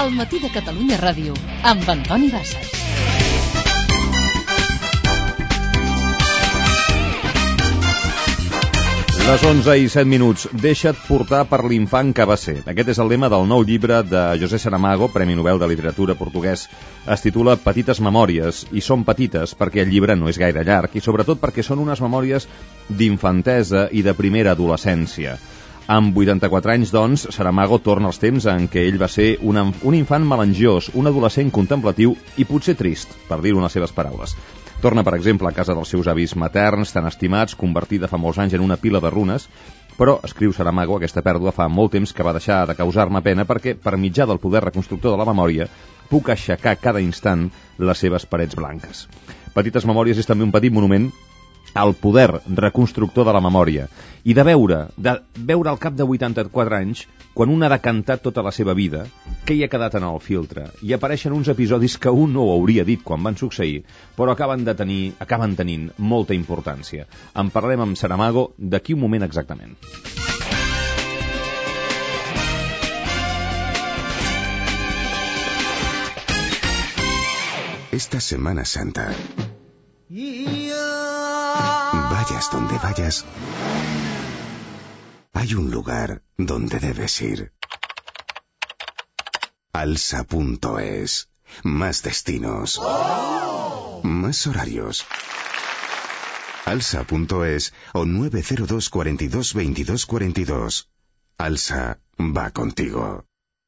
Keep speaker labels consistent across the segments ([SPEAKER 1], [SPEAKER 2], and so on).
[SPEAKER 1] Al matí de Catalunya Ràdio, amb Antoni Bassas.
[SPEAKER 2] Les 11:07. Deixa't portar per l'infant que va ser. Aquest és el lema del nou llibre de José Saramago, Premi Nobel de Literatura portuguès. Es titula Petites memòries, i són petites perquè el llibre no és gaire llarg i sobretot perquè són unes memòries d'infantesa i de primera adolescència. Amb 84 anys, doncs, Saramago torna als temps en què ell va ser un infant melangiós, un adolescent contemplatiu i potser trist, per dir-ho en les seves paraules. Torna, per exemple, a casa dels seus avis materns, tan estimats, convertida fa molts anys en una pila de runes, però, escriu Saramago, aquesta pèrdua fa molt temps que va deixar de causar-me pena perquè, per mitjà del poder reconstructor de la memòria, puc aixecar cada instant les seves parets blanques. Petites memòries és també un petit monument al poder reconstructor de la memòria i de veure al cap de 84 anys, quan un ha decantat tota la seva vida, què hi ha quedat en el filtre, i apareixen uns episodis que un no ho hauria dit quan van succeir, però acaben tenint molta importància. En parlarem amb Saramago d'aquí un moment exactament.
[SPEAKER 3] Esta Semana Santa, vayas donde vayas, hay un lugar donde debes ir. Alsa.es. Más destinos. Más horarios. Alsa.es o 902 42 22 42. Alsa va contigo.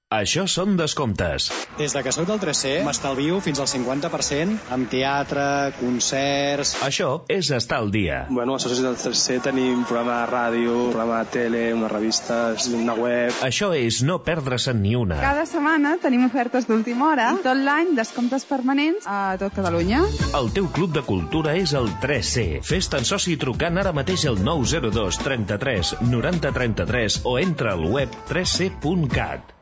[SPEAKER 4] Això són descomptes.
[SPEAKER 5] Des de que soc del 3C m'estalvio fins al 50% amb teatre, concerts...
[SPEAKER 4] Això és estar al dia.
[SPEAKER 6] Bueno, als socis del 3C tenim programa de ràdio, programa de tele, una revista, una web...
[SPEAKER 4] Això és no perdre-se'n ni una.
[SPEAKER 7] Cada setmana tenim ofertes d'última hora i tot l'any descomptes permanents a tot Catalunya.
[SPEAKER 4] El teu club de cultura és el 3C. Fes-te'n soci trucant ara mateix al 902 33 90 33 o entra al web 3c.cat.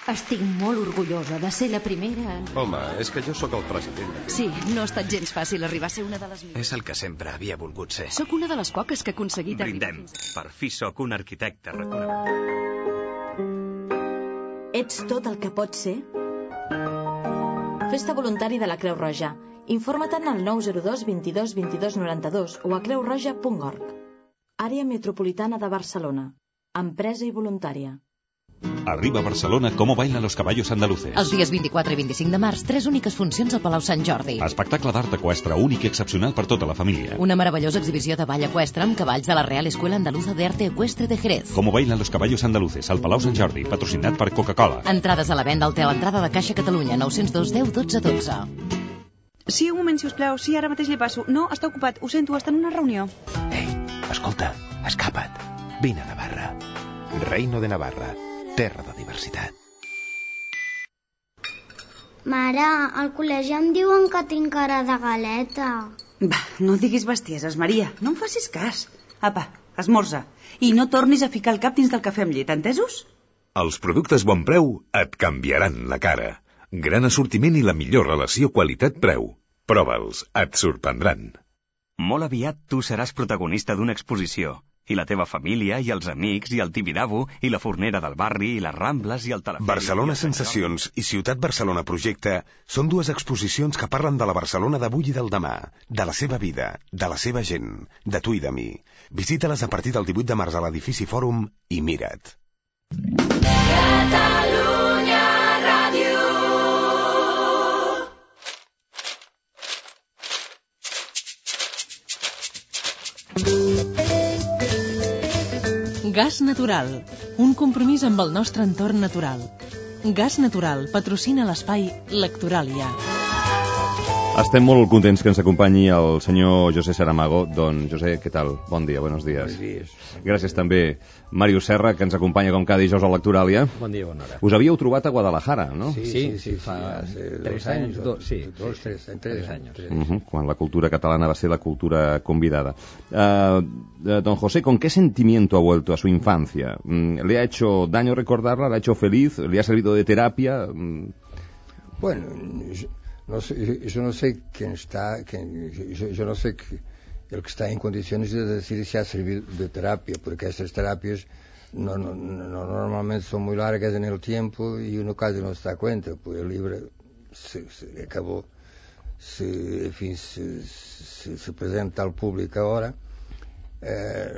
[SPEAKER 8] Estic molt orgullosa de ser la primera...
[SPEAKER 9] Home, és que jo sóc el president.
[SPEAKER 8] Sí, no ha estat gens fàcil arribar a ser una de les millors.
[SPEAKER 9] És el que sempre havia volgut ser.
[SPEAKER 8] Sóc una de les poques que ha aconseguit...
[SPEAKER 9] Brindem. Per fi sóc un arquitecte reconegut.
[SPEAKER 10] Ets tot el que pots ser? Festa voluntari de la Creu Roja. Informa-te'n al 902 22 22 92 o a creurroja.org. Àrea metropolitana de Barcelona. Empresa i voluntària.
[SPEAKER 11] Arriba a Barcelona Cómo bailan los caballos andaluces.
[SPEAKER 1] Els dies 24 i 25 de març, 3 úniques funcions al Palau Sant Jordi.
[SPEAKER 11] Espectacle d'art eqüestre únic i excepcional per tota la família.
[SPEAKER 1] Una meravellosa exhibició de ball eqüestre amb cavalls de la Real Escuela Andaluza de Arte Ecuestre de Jerez.
[SPEAKER 11] Cómo bailan los caballos andaluces al Palau Sant Jordi, patrocinat per Coca-Cola.
[SPEAKER 1] Entrades a la venda al Hotel Entrada de Caixa Catalunya, 902 10 12 12.
[SPEAKER 7] Sí, un moment, sisplau. Sí, ara mateix li passo. No, està ocupat. Ho sento, està en una reunió.
[SPEAKER 12] Ei, escolta, escapa't. Vine a Navarra. Reino de Navarra. Terra de diversitat.
[SPEAKER 13] Mare, al col·legi em diuen que tinc cara de galeta.
[SPEAKER 14] Va, no diguis bestieses, Maria. No em facis cas. Apa, esmorza. I no tornis a ficar el cap dins del cafè amb llet, entesos?
[SPEAKER 15] Els productes Bon Preu et canviaran la cara. Gran assortiment i la millor relació qualitat-preu. Prova'ls, et sorprendran.
[SPEAKER 16] Molt aviat tu seràs protagonista d'una exposició. I la teva família, i els amics, i el Tibidabo, i la fornera del barri, i les Rambles, i el telefònic...
[SPEAKER 3] Barcelona Sensacions i Ciutat Barcelona Projecte són dues exposicions que parlen de la Barcelona d'avui i del demà, de la seva vida, de la seva gent, de tu i de mi. Visita-les a partir del 18 de març a l'edifici Fòrum i mira't.
[SPEAKER 17] Catalunya Ràdio.
[SPEAKER 18] Gas Natural, un compromís amb el nostre entorn natural. Gas Natural patrocina l'espai Lectoràlia.
[SPEAKER 2] Estem molt contents que ens acompanyi el senyor José Saramago. Don José, què tal? Bon dia, buenos días.
[SPEAKER 19] Buenos días.
[SPEAKER 2] Gràcies també Màrius Serra, que ens acompanya com cada dijous a Lectoràlia.
[SPEAKER 19] Bon dia, bona hora.
[SPEAKER 2] Us havíeu trobat a Guadalajara, no?
[SPEAKER 19] Sí, fa 3 anys. 3 anys.
[SPEAKER 2] Quan la cultura catalana va ser la cultura convidada. Don José, ¿con qué sentimiento ha vuelto a su infancia? ¿Le ha hecho daño recordarla? ¿Le ha hecho feliz? ¿Le ha servido de terapia?
[SPEAKER 19] Bueno, yo no sé quién está, yo no sé el que está en condiciones de decir si ha servido de terapia, porque estas terapias normalmente son muy largas en el tiempo y uno casi no se da cuenta, pues el libro se acabó, se presenta al público ahora.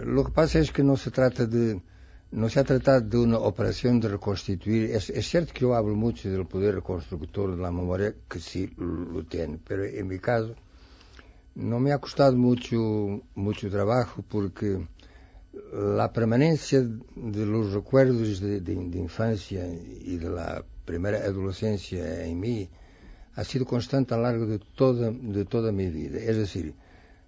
[SPEAKER 19] Lo que pasa es que no se ha tratado de una operación de reconstituir. Es cierto que yo hablo mucho del poder reconstructor de la memoria, que sí lo tiene, pero en mi caso no me ha costado mucho trabajo, porque la permanencia de los recuerdos de infancia y de la primera adolescencia en mí ha sido constante a lo largo de toda mi vida. Es decir,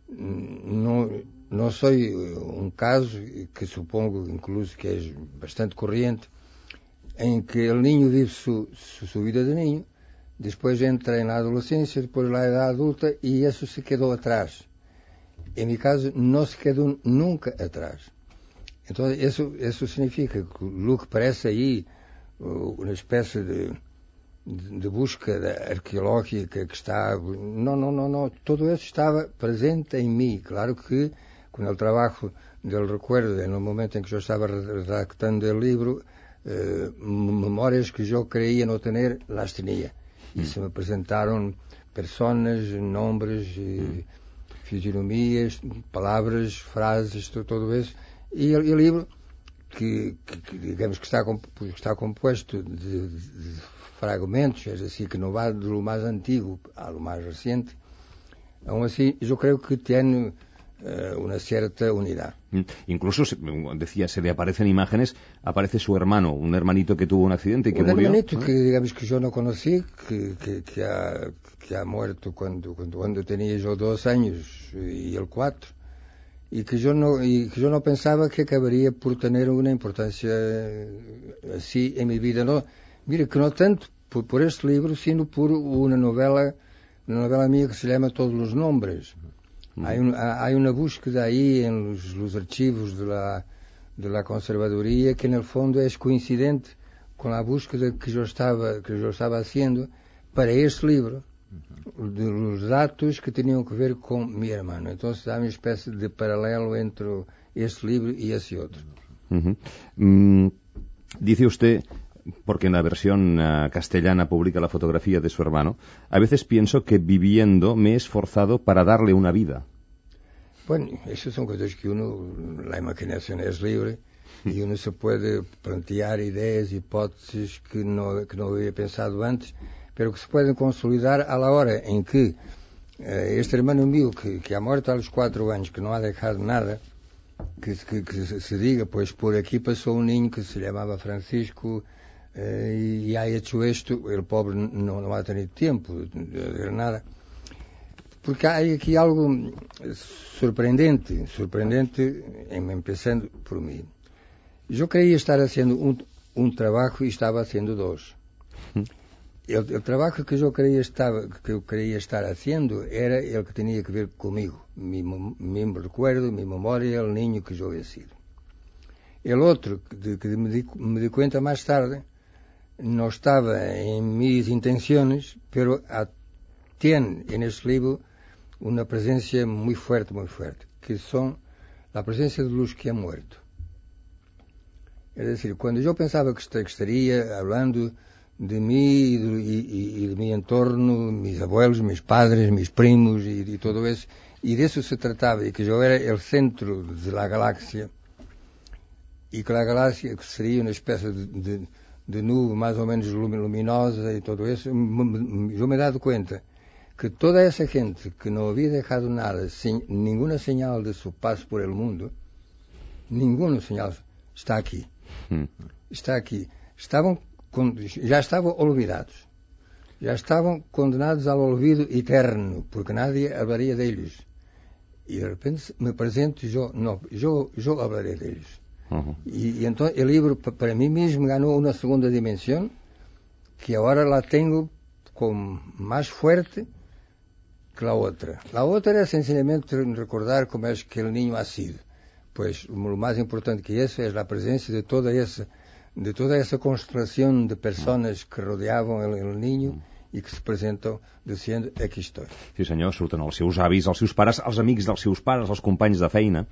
[SPEAKER 19] no soy un caso que supongo incluso que es bastante corriente, en que el niño vive su vida de niño, después entra en la adolescencia, después en la edad adulta, y eso se quedó atrás. En mi caso no se quedó nunca atrás. Entonces eso significa que lo que parece ahí una especie de búsqueda arqueológica que está... No, todo eso estaba presente en mí. Claro que con el trabajo del recuerdo, en el momento en que yo estaba redactando el libro, memorias que yo creía no tener, las tenía. Y se me presentaron personas, nombres, fisionomías, palabras, frases, todo eso. Y el libro, que digamos que está compuesto de fragmentos, es decir, que no va de lo más antiguo a lo más reciente, aún así yo creo que tiene una cierta unidad.
[SPEAKER 2] Incluso, decía, se le aparecen imágenes, aparece su hermano, un hermanito que tuvo un accidente y que murió. Un
[SPEAKER 19] hermanito que, digamos, que yo no conocí, que ha muerto cuando tenía yo 2 años y él 4, y que yo no pensaba que acabaría por tener una importancia así en mi vida. No, mire, que no tanto por este libro, sino por una novela mía que se llama Todos los Nombres. Hay una búsqueda ahí en los archivos de la conservaduría que en el fondo es coincidente con la búsqueda que yo estaba haciendo para este libro, de los datos que tenían que ver con mi hermano. Entonces hay una especie de paralelo entre este libro y ese otro.
[SPEAKER 2] Dice usted, porque en la versión castellana publica la fotografía de su hermano, a veces pienso que viviendo me he esforzado para darle una vida.
[SPEAKER 19] Bueno, esas son cosas que la imaginación es libre y uno se puede plantear ideas, hipótesis que no había pensado antes, pero que se pueden consolidar a la hora en que este hermano mío, que ha muerto a los 4 años, que no ha dejado nada, que se diga, pues por aquí pasó un niño que se llamaba Francisco, y ha hecho esto, el pobre no ha tenido tiempo de hacer nada. Porque hay aquí algo sorprendente, empezando por mí. Yo creía estar haciendo un trabajo y estaba haciendo 2. El trabajo que yo creía estar haciendo era el que tenía que ver conmigo, mi recuerdo, mi memoria, el niño que yo había sido. El otro, que me di cuenta más tarde, no estaba en mis intenciones, pero tiene en este libro una presencia muy fuerte, que son la presencia de los que han muerto. Es decir, cuando yo pensaba que estaría hablando de mí y de mi entorno, mis abuelos, mis padres, mis primos y todo eso, y de eso se trataba, y que yo era el centro de la galaxia, y que la galaxia sería una especie de nube más o menos luminosa y todo eso, yo me he dado cuenta que toda esa gente que no había dejado nada, sin ninguna señal de su paso por el mundo, ninguna señal, está aquí. Está aquí. Ya estaban olvidados. Ya estaban condenados al olvido eterno, porque nadie hablaría de ellos. Y de repente me presento yo hablaré de ellos. Y entonces el libro para mí mismo ganó una segunda dimensión que ahora la tengo con más fuerte que la otra. La otra era sencillamente recordar cómo es que el niño ha sido. Pues lo más importante que eso es la presencia de toda esa constelación de personas que rodeaven el niño i que se presenta dient aquí estoy.
[SPEAKER 2] Sí senyor, surten els seus avis, els seus pares, els amics dels seus pares, els companys de feina.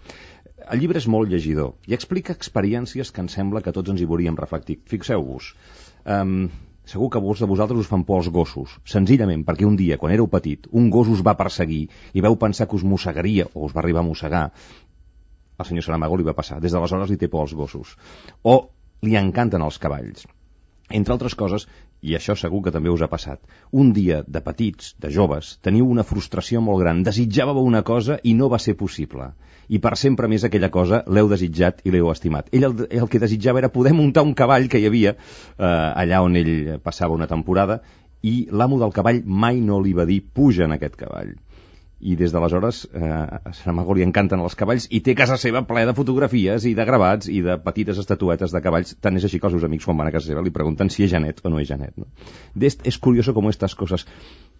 [SPEAKER 2] El llibre és molt llegidor i explica experiències que em sembla que tots ens hi veuríem reflectir. Fixeu-vos, segur que molts de vosaltres us fan por els gossos, senzillament perquè un dia, quan éreu petit, un gos us va perseguir i veu pensar que us mossegaria o us va arribar a mossegar. Al senyor Saramago li va passar. Des d'aleshores li té por als gossos. O li encanten els cavalls. Entre altres coses, i això segur que també us ha passat, un dia de petits, de joves, teniu una frustració molt gran, desitjàveu una cosa i no va ser possible. I per sempre més aquella cosa l'heu desitjat i l'heu estimat. Ell el que desitjava era poder muntar un cavall que hi havia allà on ell passava una temporada i l'amo del cavall mai no li va dir puja en aquest cavall. I des d'aleshores a Saramago li encanten els cavalls i té casa seva ple de fotografies i de gravats i de petites estatuetes de cavalls. Tant és així que els seus amics quan van a casa seva li pregunten si és Janet o no és Janet, ¿no? Es curioso como estas cosas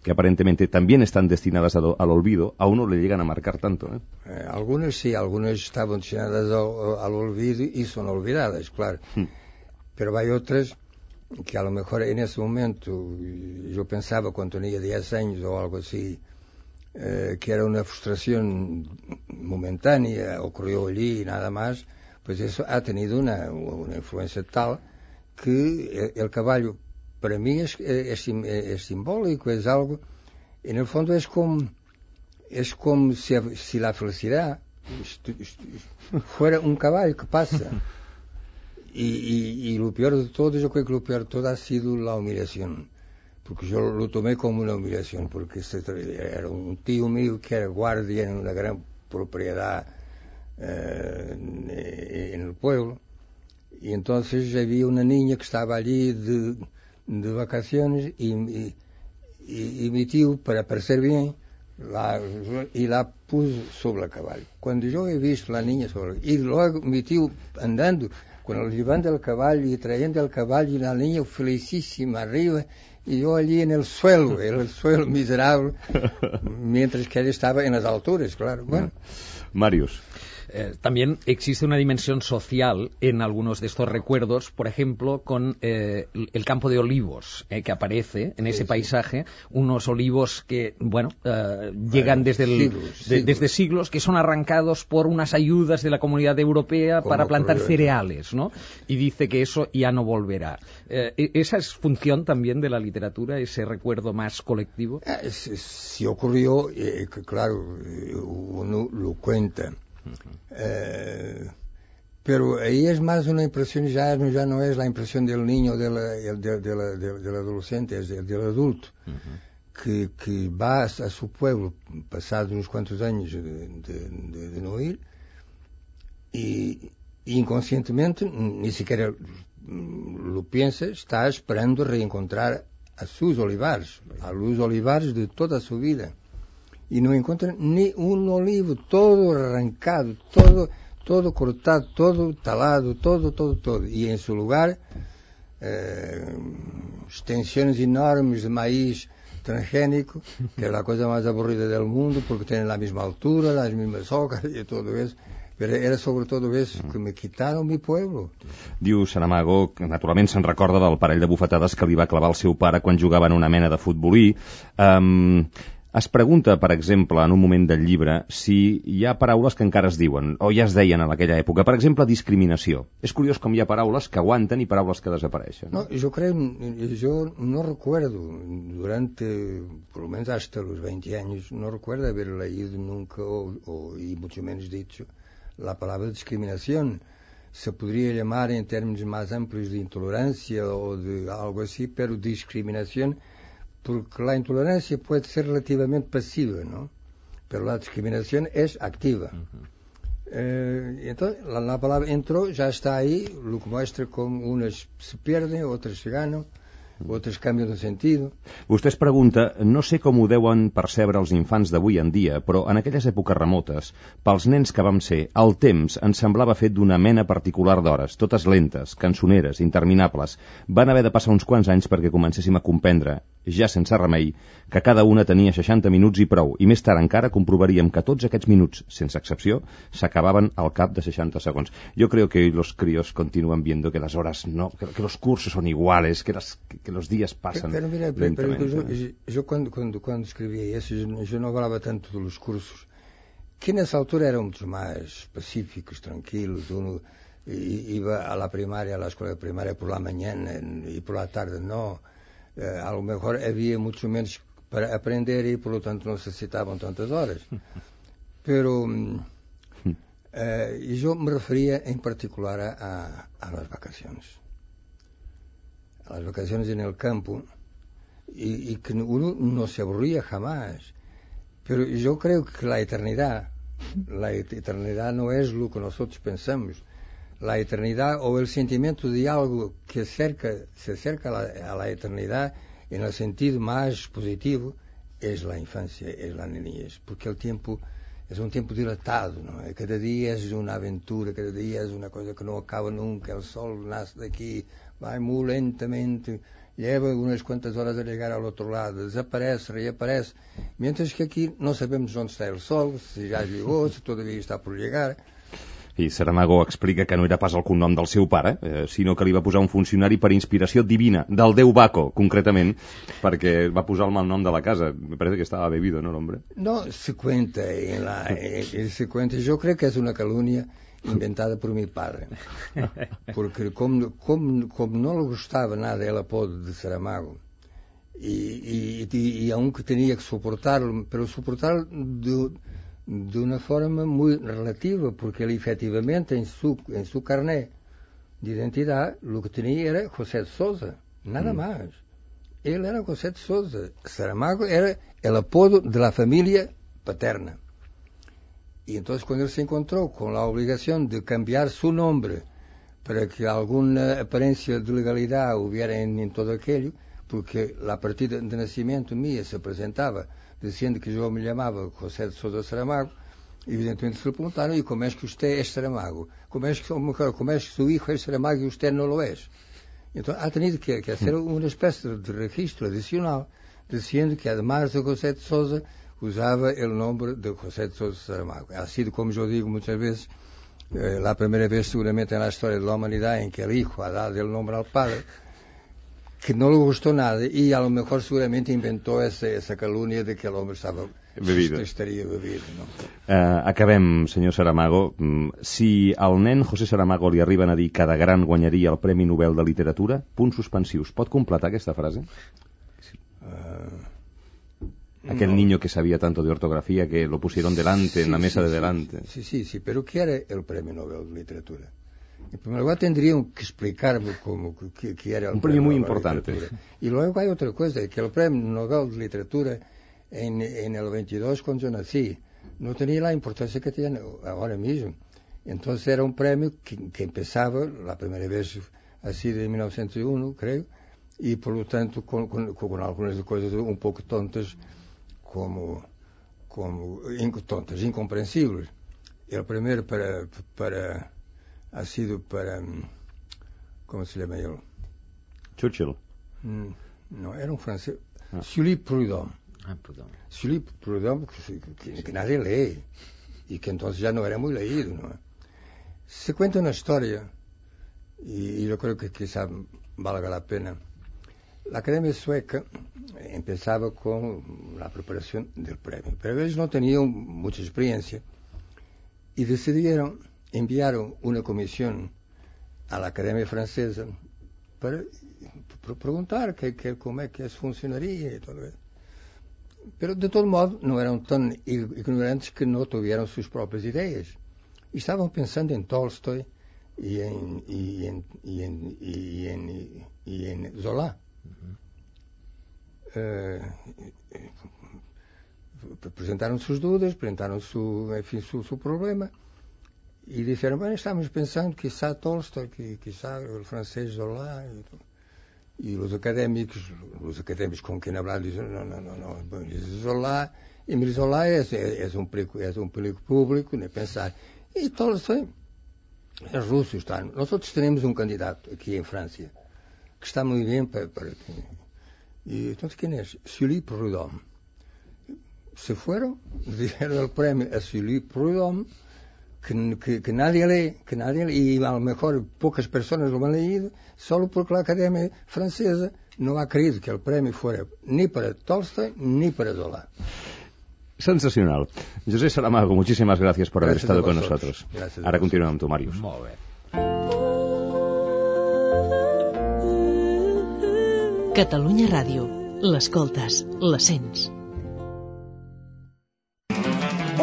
[SPEAKER 2] que aparentemente también están destinadas al olvido, a uno le llegan a marcar tanto, ¿eh?
[SPEAKER 19] Algunas sí, algunas estaban destinadas al olvido y son olvidadas, claro. Pero hay otras que a lo mejor en ese momento yo pensaba cuando tenía 10 años o algo así, que era una frustración momentánea, ocurrió allí y nada más, pues eso ha tenido una influencia tal que el caballo para mí es simbólico, es algo, en el fondo es como si la felicidad fuera un caballo que pasa. Y lo peor de todo, yo creo que lo peor de todo ha sido la humillación. Porque yo lo tomé como una humillación, porque era un tío mío que era guardia en una gran propiedad en el pueblo, y entonces había una niña que estaba allí de vacaciones y mi tío, para parecer bien, la puso sobre el caballo. Cuando yo he visto la niña y luego mi tío andando, llevando el caballo y trayendo el caballo y la niña felicísima arriba, y yo allí en el suelo miserable, mientras que él estaba en las alturas, claro. Bueno.
[SPEAKER 2] Marius.
[SPEAKER 20] También existe una dimensión social en algunos de estos recuerdos, por ejemplo, con el campo de olivos que aparece en ese paisaje, unos olivos que, llegan desde siglos, que son arrancados por unas ayudas de la Comunidad Europea para plantar cereales, ¿no? Y dice que eso ya no volverá. ¿Esa es función también de la literatura, ese recuerdo más colectivo?
[SPEAKER 19] Sí ocurrió, claro, uno lo cuenta. Pero ahí es más una impresión, ya no es la impresión del niño, del adolescente, es del adulto, que va a su pueblo, pasados unos cuantos años de no ir, y inconscientemente, ni siquiera lo piensa, está esperando reencontrar a sus olivares, a los olivares de toda su vida. Y no encuentran ni un olivo, todo arrancado, todo cortado, todo talado, todo. Y en su lugar, extensiones enormes de maíz transgénico, que es la cosa más aburrida del mundo, porque tienen la misma altura, las mismas hojas y todo eso. Però era sobre tot eso, que me quitaron mi pueblo.
[SPEAKER 2] Diu Saramago que naturalment se'n recorda del parell de bufetades que li va clavar el seu pare quan jugava en una mena de futbolí. Es pregunta, per exemple, en un moment del llibre, si hi ha paraules que encara es diuen, o ja es deien en aquella època. Per exemple, discriminació. És curiós com hi ha paraules que aguanten i paraules que desapareixen.
[SPEAKER 19] No, yo no recuerdo, durante, por lo menos hasta los 20 años, no recuerdo haber leído nunca, y mucho menos dicho, la palabra discriminación. Se podría llamar en términos más amplios de intolerancia o de algo así, pero discriminación, porque la intolerancia puede ser relativamente pasiva, ¿no? Pero la discriminación es activa. Entonces, la palabra entró, ya está ahí, lo que muestra cómo unas se pierden, otras se ganan, otras cambian de sentido.
[SPEAKER 2] Vostè es pregunta, no sé com ho deuen percebre els infants d'avui en dia, però en aquelles èpoques remotes, pels nens que vam ser, el temps ens semblava fet d'una mena particular d'hores, totes lentes, cançoneres, interminables. Van haver de passar uns quants anys perquè comencéssim a comprendre, ja sense remei, que cada una tenia 60 minuts i prou, i més tard encara comprovaríem que tots aquests minuts, sense excepció, s'acabaven al cap de 60 segons. Yo creo que los críos continúan viendo que las horas no, que los cursos son iguales, que los días pasan lentamente.
[SPEAKER 19] Pero yo cuando escribía eso, yo no hablaba tanto de los cursos, que en esa altura eran mucho más pacíficos, tranquilos. Uno iba a la primaria, a la escuela primaria por la mañana y por la tarde no. A lo mejor había mucho menos para aprender y por lo tanto no se necesitaban tantas horas. Pero yo me refería en particular a las vacaciones. A las vacaciones en el campo y que uno no se aburría jamás. Pero yo creo que la eternidad no es lo que nosotros pensamos. La eternidad o el sentimiento de algo que se acerca a la eternidad en el sentido más positivo es la infancia, es la niñez, porque el tiempo es un tiempo dilatado, ¿no? Cada día es una aventura, cada día es una cosa que no acaba nunca. El sol nace de aquí, va muy lentamente, lleva unas cuantas horas a llegar al otro lado, desaparece, reaparece, mientras que aquí no sabemos dónde está el sol, si ya llegó, si todavía está por llegar.
[SPEAKER 2] I Saramago explica que no era pas el cognom del seu pare, sinó que li va posar un funcionari per inspiració divina, del déu Baco, concretament, perquè va posar el malnom de la casa. Me parece que estaba bebido, ¿no, el hombre?
[SPEAKER 19] No, se cuenta, yo creo que es una calumnia inventada por mi padre, porque como no le gustaba nada el apodo de Saramago, y aunque tenía que soportarlo, pero soportarlo de una forma muy relativa, porque él efectivamente en su carnet de identidad lo que tenía era José de Sousa, nada más. Él era José de Sousa. Saramago era el apodo de la familia paterna. Y entonces cuando él se encontró con la obligación de cambiar su nombre para que alguna apariencia de legalidad hubiera en todo aquello, porque la partida de nacimiento mía se presentaba diciendo que yo me llamaba José de Sousa Saramago, evidentemente se le preguntaron, ¿y cómo es que usted es Saramago? ¿Cómo es que su hijo es Saramago y usted no lo es? Entonces ha tenido que hacer una especie de registro adicional diciendo que además de José de Sousa usaba el nombre de José de Sousa Saramago. Ha sido, como yo digo muchas veces, la primera vez seguramente en la historia de la humanidad en que el hijo ha dado el nombre al padre, que no le gustó nada y a lo mejor seguramente inventó esa calumnia de que el hombre estaria bebido, no?
[SPEAKER 2] Acabem, senyor Saramago. Si al nen José Saramago li arriben a dir que de gran guanyaria el Premi Nobel de Literatura, punts suspensius. Pot completar aquesta frase? Aquel niño que sabía tanto de ortografía que lo pusieron delante, en la mesa de delante.
[SPEAKER 19] Sí, pero ¿qué era el Premio Nobel de Literatura? En primer lugar tendrían que explicarme qué era el
[SPEAKER 2] un premio muy importante.
[SPEAKER 19] Y luego hay otra cosa, que el Premio Nobel de Literatura en el 22, cuando yo nací, no tenía la importancia que tiene ahora mismo. Entonces era un premio que empezaba la primera vez así de 1901, creo, y por lo tanto con algunas cosas un poco tontas, como tontas, incomprensibles. El primero ha sido para... ¿Cómo se llama él?
[SPEAKER 2] Churchill.
[SPEAKER 19] No, era un francés. Sully Prudhomme. Sully Prudhomme, que nadie lee, y que entonces ya no era muy leído, ¿no? Se cuenta una historia, y yo creo que quizá valga la pena. La Academia Sueca empezaba con la preparación del premio, pero ellos no tenían mucha experiencia, y decidieron enviaron una comisión a la Academia Francesa para preguntar cómo es que funcionaría y todo eso. Pero de todo modo no eran tan ignorantes que no tuvieran sus propias ideas. Y estaban pensando en Tolstoy y en Zola. Presentaron sus dudas, presentaron su problema. Y dijeron, bueno, estamos pensando quizá Tolstoy, quizá el francés Zola. Y los académicos con quien hablar dicen, no, Zola, Emile Zola es un perigo público, ni pensar. Y Tolstoy es ruso. Nosotros tenemos un candidato aquí en Francia, que está muy bien para y entonces, ¿quién es? Sully Prudhomme. Se fueron, dieron el premio a Sully Prudhomme, que nadie lee, y a lo mejor pocas personas lo han leído, solo porque la Academia Francesa no ha creído que el premio fuera ni para Tolstoy ni para Zola.
[SPEAKER 2] Sensacional. José Saramago, muchísimas gracias por haber estado con nosotros. Ahora continuem amb tu, Màrius.
[SPEAKER 20] Molt bé.
[SPEAKER 18] Catalunya Ràdio. L'escoltes, la sents.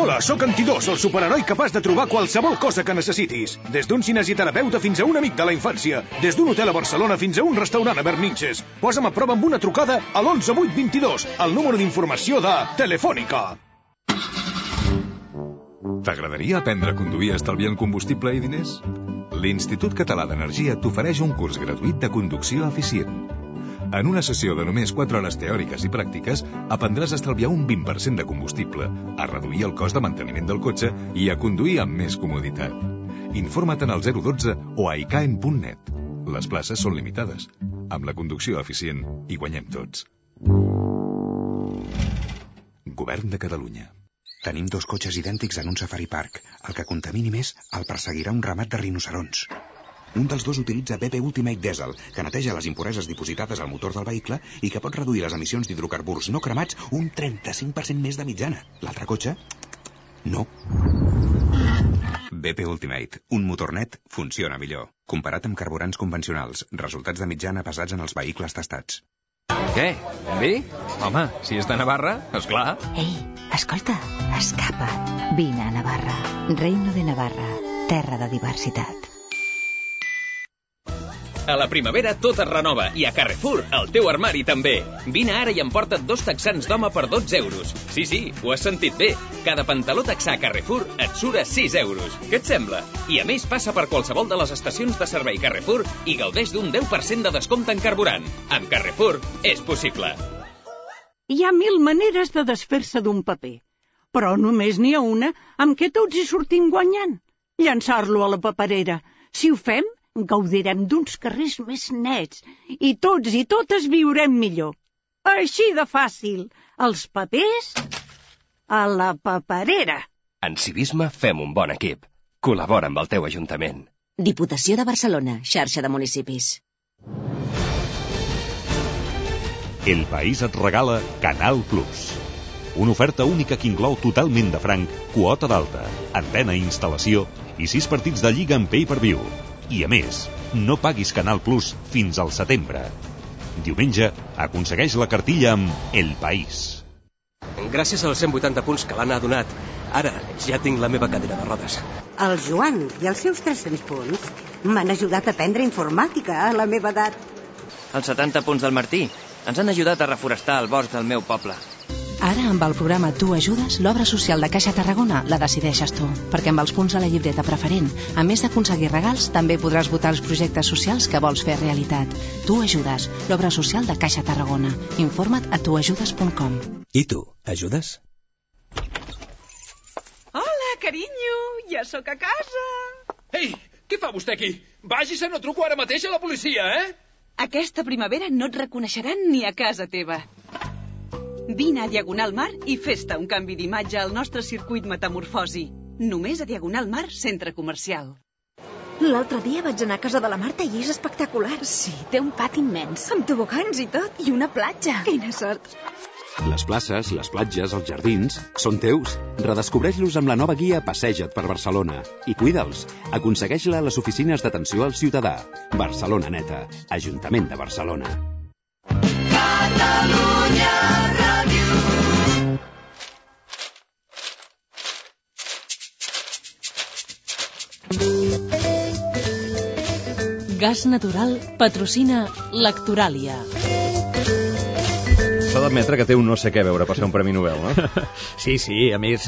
[SPEAKER 21] Hola, sóc Antidós, el superheroi capaç de trobar qualsevol cosa que necessitis. Des d'un cinesioterapeuta fins a un amic de la infància. Des d'un hotel a Barcelona fins a un restaurant a Berninches. Posa'm a prova amb una trucada a l'11822, el número d'informació de Telefònica.
[SPEAKER 15] T'agradaria aprendre a conduir estalviant combustible i diners? L'Institut Català d'Energia t'ofereix un curs gratuït de conducció eficient. En una sessió de només 4 hores teòriques i pràctiques, aprendràs a estalviar un 20% de combustible, a reduir el cost de manteniment del cotxe i a conduir amb més comoditat. Informa't en el 012 o a icaen.net. Les places són limitades. Amb la conducció eficient hi guanyem tots. Govern de Catalunya.
[SPEAKER 3] Tenim 2 cotxes idèntics en un safari park. El que contamini més el perseguirà un ramat de rinocerons. Un dels 2 utilitza BP Ultimate Diesel, que neteja les impureses dipositades al motor del vehicle i que pot reduir les emissions d'hidrocarburs no cremats un 35% més de mitjana. L'altre cotxe? No. BP Ultimate, un motor net, funciona millor. Comparat amb carburants convencionals, resultats de mitjana basats en els vehicles testats.
[SPEAKER 22] Què? Vi? Home, si és de Navarra, esclar.
[SPEAKER 8] Ei, escolta, escapa't. Vine a Navarra. Reino de Navarra, terra de diversitat.
[SPEAKER 22] A la primavera tot es renova i a Carrefour el teu armari també. Vine ara i emporta't 2 texans d'home per 12 euros. Sí, ho has sentit bé. Cada pantaló texà Carrefour et surt a 6 euros. Què et sembla? I a més passa per qualsevol de les estacions de servei Carrefour i gaudeix d'un 10% de descompte en carburant. Amb Carrefour és possible.
[SPEAKER 23] Hi ha 1000 maneres de desfer-se d'un paper, però només n'hi ha una amb què tots hi sortim guanyant. Llançar-lo a la paperera. Si ho fem, gaudirem d'uns carrers més nets i tots i totes viurem millor. Així de fàcil. Els papers a la paperera.
[SPEAKER 22] En civisme fem un bon equip. Col·labora amb el teu ajuntament.
[SPEAKER 1] Diputació de Barcelona, xarxa de municipis.
[SPEAKER 11] El País et regala Canal Plus. Una oferta única que inclou totalment de franc, quota d'alta, antena i instal·lació i 6 partits de lliga en pay-per-view. I a més, no paguis Canal Plus fins al setembre. Diumenge, aconsegueix la cartilla amb El País.
[SPEAKER 22] Gràcies als 180 punts que l'Anna ha donat, ara ja tinc la meva cadira de rodes.
[SPEAKER 24] El Joan i els seus 300 punts m'han ajudat a aprendre informàtica a la meva edat.
[SPEAKER 25] Els 70 punts del Martí ens han ajudat a reforestar el bosc del meu poble.
[SPEAKER 26] Ara, amb el programa Tu Ajudes, l'obra social de Caixa Tarragona la decideixes tu, perquè amb els punts a la llibreta preferent, a més d'aconseguir regals, també podràs votar els projectes socials que vols fer realitat. Tu Ajudes, l'obra social de Caixa Tarragona. Informa't a tuajudes.com.
[SPEAKER 27] I tu, ajudes?
[SPEAKER 28] Hola, carinyo, ja sóc a casa.
[SPEAKER 29] Ei, què fa vostè aquí? Vagi-se, no truco ara mateix a la policia, eh?
[SPEAKER 28] Aquesta primavera no et reconeixeran ni a casa teva. Vine a Diagonal Mar i fes-te un canvi d'imatge al nostre circuit Metamorfosi. Només a Diagonal Mar, centre comercial.
[SPEAKER 8] L'altre dia vaig anar a casa de la Marta i és espectacular.
[SPEAKER 28] Sí, té un pati immens.
[SPEAKER 8] Amb tobogans i tot, i una platja. Quina sort.
[SPEAKER 30] Les places, les platges, els jardins, són teus. Redescobreix-los amb la nova guia Passeja't per Barcelona i cuida'ls. Aconsegueix-la a les oficines d'atenció al ciutadà. Barcelona Neta, Ajuntament de Barcelona. Catalunya Ràdio.
[SPEAKER 18] Gas Natural patrocina Lectoràlia.
[SPEAKER 2] S'ha d'admetre que té un no sé què veure per ser un Premi Nobel, no?
[SPEAKER 20] Sí, a més,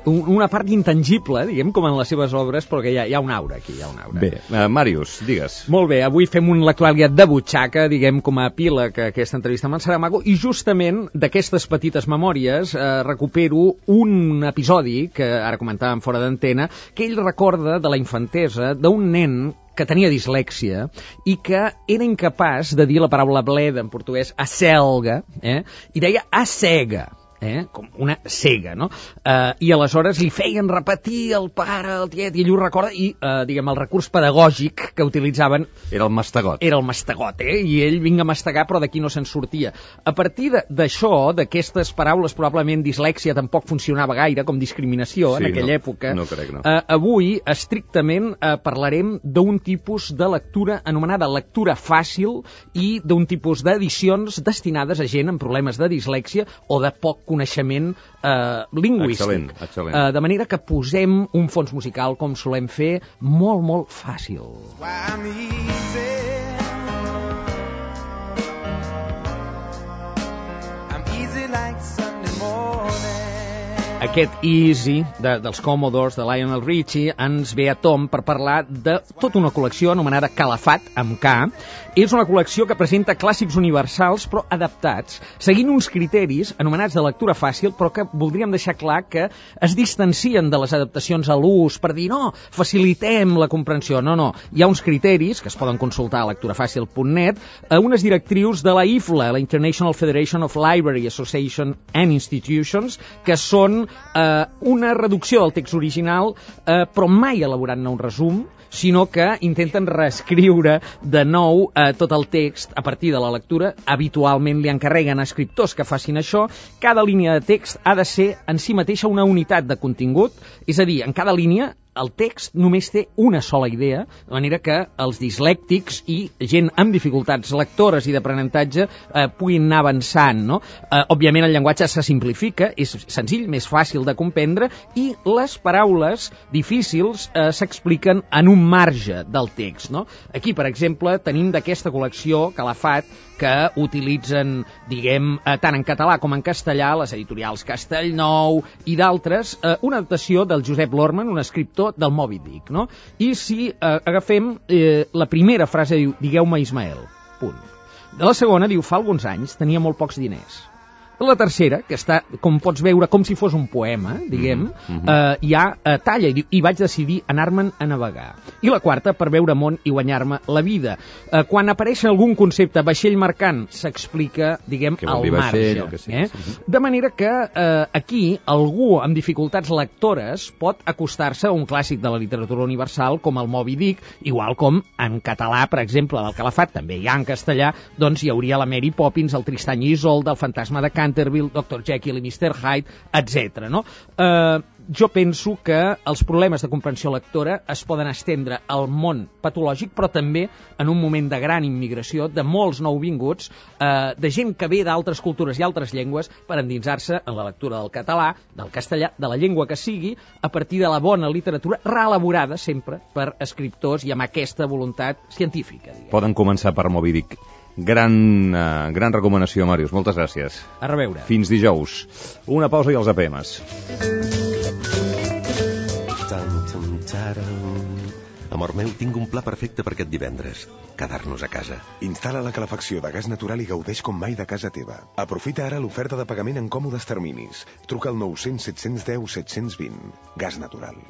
[SPEAKER 20] una part intangible, diguem, com en les seves obres, però que hi ha un aura aquí, hi ha un aura.
[SPEAKER 2] Bé, Màrius, digues.
[SPEAKER 20] Molt bé, avui fem un Lectoràlia de butxaca, diguem, com a epíleg a aquesta entrevista amb en Saramago, i justament d'aquestes petites memòries recupero un episodi que ara comentàvem fora d'antena, que ell recorda de la infantesa d'un nen que tenia dislèxia i que era incapaç de dir la paraula bleda en portuguès, acelga, i deia assega. com una cega, no? I aleshores li feien repetir el pare, el tiet, i ell ho recorda, i, diguem, el recurs pedagògic que utilitzaven...
[SPEAKER 2] Era el mastegot.
[SPEAKER 20] Era el mastegot, i ell vinga a mastegar, però d'aquí no se'n sortia. A partir d'això, d'aquestes paraules, probablement dislèxia tampoc funcionava gaire, com discriminació en aquella època.
[SPEAKER 2] No crec, no.
[SPEAKER 20] Avui, estrictament, parlarem d'un tipus de lectura anomenada lectura fàcil i d'un tipus d'edicions destinades a gent amb problemes de dislèxia o de poc coneixement lingüístic.
[SPEAKER 2] Excel·lent.
[SPEAKER 20] De manera que posem un fons musical, com solem fer, molt, molt fàcil. Aquest Easy dels Commodores, de Lionel Richie, ens ve a tom per parlar de tota una col·lecció anomenada Calafat, amb K. És una col·lecció que presenta clàssics universals, però adaptats, seguint uns criteris anomenats de lectura fàcil, però que voldríem deixar clar que es distancien de les adaptacions a l'ús per dir, no, facilitem la comprensió. No. Hi ha uns criteris, que es poden consultar a lecturafàcil.net, unes directrius de la IFLA, la International Federation of Library Association and Institutions, que són una reducció del text original, però mai elaborant-ne un resum, sinó que intenten reescriure de nou tot el text a partir de la lectura. Habitualment li encarreguen a escriptors que facin això. Cada línia de text ha de ser en si mateixa una unitat de contingut, és a dir, en cada línia el text només té una sola idea, de manera que els dislèctics i gent amb dificultats lectores i d'aprenentatge puguin anar avançant, no? Òbviament el llenguatge se simplifica, és senzill, més fàcil de comprendre, i les paraules difícils s'expliquen en un marge del text, no? Aquí, per exemple, tenim d'aquesta col·lecció Calafat, que utilitzen, diguem, tant en català com en castellà, les editorials Castellnou i d'altres, una adaptació del Josep Lorman, un escriptor del Moby Dick, no? I si agafem la primera frase, diu, digueu-me Ismael, punt. De la segona, diu, fa alguns anys tenia molt pocs diners. La tercera, que està, com pots veure, com si fos un poema, diguem, hi ha talla, i diu, i vaig decidir anar-me'n a navegar. I la quarta, per veure món i guanyar-me la vida. Quan apareix algun concepte vaixell mercant, s'explica, diguem, al marge. De manera que aquí algú amb dificultats lectores pot acostar-se a un clàssic de la literatura universal com el Moby Dick, igual com en català, per exemple, del Calafat, també hi ha en castellà, doncs hi hauria la Mary Poppins, el Tristany i Isolde, el Fantasma de Canterville, Dr. Jekyll i Mr. Hyde, etc. No? Jo penso que els problemes de comprensió lectora es poden estendre al món patològic, però també en un moment de gran immigració, de molts nouvinguts, de gent que ve d'altres cultures i altres llengües per endinsar-se en la lectura del català, del castellà, de la llengua que sigui, a partir de la bona literatura reelaborada sempre per escriptors i amb aquesta voluntat científica. Diguem.
[SPEAKER 2] Poden començar per Moby Dick. Gran recomanació, Màrius. Moltes gràcies.
[SPEAKER 20] A reveure.
[SPEAKER 2] Fins dijous. Una pausa i els APMs.
[SPEAKER 3] Amor meu, tinc un pla perfecte per aquest divendres. Quedar-nos a casa. Instal·la la calefacció de gas natural i gaudeix com mai de casa teva. Aprofita ara l'oferta de pagament en còmodes terminis. Truca al 900 710 720. Gas natural.